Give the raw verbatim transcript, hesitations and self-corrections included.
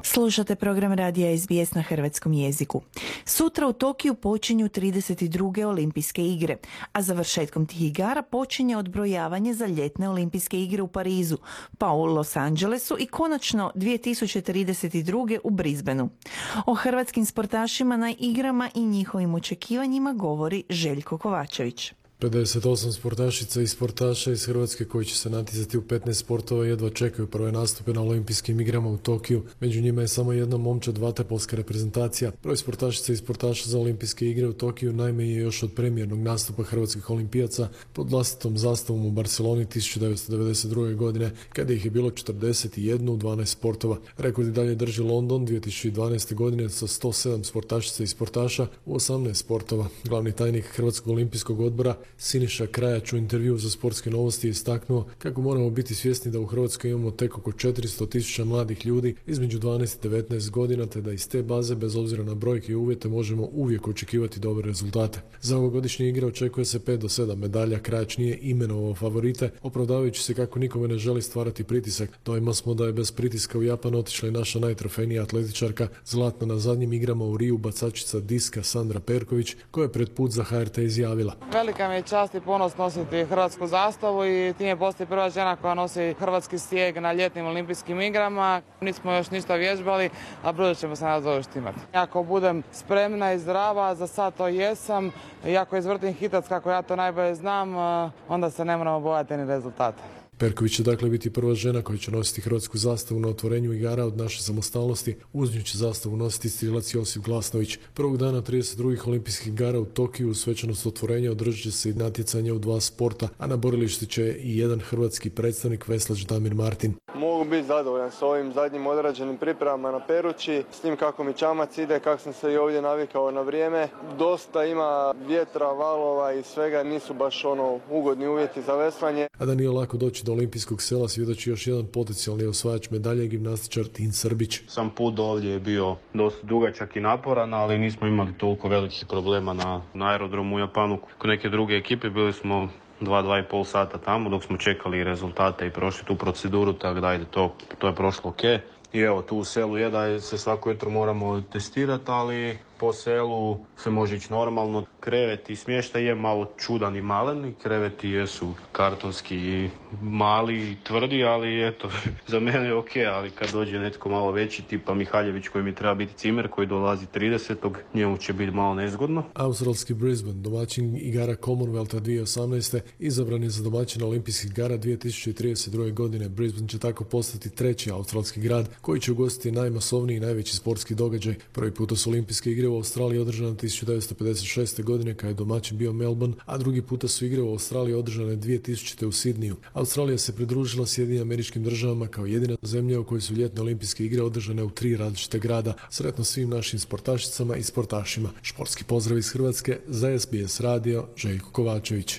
Slušate program radija S B S na hrvatskom jeziku. Sutra u Tokiju počinju trideset druge olimpijske igre, a završetkom tih igara počinje odbrojavanje za ljetne olimpijske igre u Parizu, pa u Los Angelesu i konačno dvije tisuće trideset druge u Brisbaneu. O hrvatskim sportašima na igrama i njihovim očekivanjima govori Željko Kovačević. pedeset osam sportašica i sportaša iz Hrvatske koji će se natjecati u petnaest sportova jedva čekaju prve nastupe na olimpijskim igrama u Tokiju. Među njima je samo jedna momčad vaterpolska reprezentacija. Broj sportašica i sportaša za olimpijske igre u Tokiju najme je još od premijernog nastupa hrvatskih olimpijaca pod vlastitom zastavom u Barceloni tisuću devetsto devedeset druge. godine, kada ih je bilo četrdeset jedan u dvanaest sportova. Rekord i dalje drži London dvije tisuće dvanaeste. godine sa sto sedam sportašica i sportaša u osamnaest sportova. Glavni tajnik Hrvatskog olimpijskog odbora Siniša Krajač u intervjuu za Sportske novosti je istaknuo kako moramo biti svjesni da u Hrvatskoj imamo tek oko četiristo tisuća mladih ljudi između dvanaest i devetnaest godina, te da iz te baze, bez obzira na brojke i uvjete, možemo uvijek očekivati dobre rezultate. Za ovogodišnje igre očekuje se pet do sedam medalja. Krajač nije imenovao favorite, opravdavajući se kako nikome ne želi stvarati pritisak. Dojma smo da je bez pritiska u Japan otišla i naša najtrofejnija atletičarka, zlatna na zadnjim igrama u Riju bacačica diska Sandra Perković, koja je pred put za H R T izjavila: Velika mi je čast i ponos nositi hrvatsku zastavu i time postoji prva žena koja nosi hrvatski stijeg na ljetnim olimpijskim igrama. Nismo još ništa vježbali, a brzo ćemo se nas završiti imati. Ako budem spremna i zdrava, za sad to jesam, i ako izvrtim hitac kako ja to najbolje znam, onda se ne moramo bojati ni rezultata. Perković će dakle biti prva žena koja će nositi hrvatsku zastavu na otvorenju igara od naše samostalnosti. Uz nju će zastavu nositi strilac Josip Glasnović. Prvog dana trideset drugih olimpijskih igara u Tokiju u svečanost otvorenja održat će se i natjecanje u dva sporta, a na borilištu će i jedan hrvatski predstavnik, veslač Damir Martin. Mogu biti zadovoljan s ovim zadnjim odrađenim pripremama na Perući, s tim kako mi čamac ide, kako sam se i ovdje navikao na vrijeme. Dosta ima vjetra, valova i svega, nisu baš ono ugodni uvjeti za veslanje. A da nije lako doći do olimpijskog sela svjedoči još jedan potencijalni osvajač medalje, gimnastičar Tin Srbić. Sam put do ovdje je bio dosta dugačak i naporan, ali nismo imali toliko velikih problema na, na aerodromu u Japanu. Kod neke druge ekipe bili smo dva, dva i pol sata tamo dok smo čekali rezultate i prošli tu proceduru, tako da ajde, to, to je prošlo ok. I evo, tu u selu je da se svako jutro moramo testirati, ali po selu se može ići normalno. Krevet i smještaj je malo čudan i malen, kreveti jesu kartonski i mali i tvrdi, ali eto, za mene je ok, ali kad dođe netko malo veći, tipa Mihaljević koji mi treba biti cimer, koji dolazi tridesetog njemu će biti malo nezgodno. Australski Brisbane, domaćin igara Commonwealtha dvije tisuće osamnaeste, izabran je za domaćina olimpijskih igara dvije tisuće trideset druge. godine. Brisbane će tako postati treći australski grad koji će ugostiti najmasovniji i najveći sportski događaj. Prvi puta su olimpijske igre u Australiji održane tisuću devetsto pedeset šeste. godine kada je domaćin bio Melbourne, a drugi puta su igre u Australiji održane dvije tisućite. u Sidniju. Australija se pridružila Sjedinjenim Američkim Državama kao jedina zemlja u kojoj su ljetne olimpijske igre održane u tri različite grada. Sretno svim našim sportašicama i sportašima. Športski pozdrav iz Hrvatske za S B S radio, Željko Kovačević.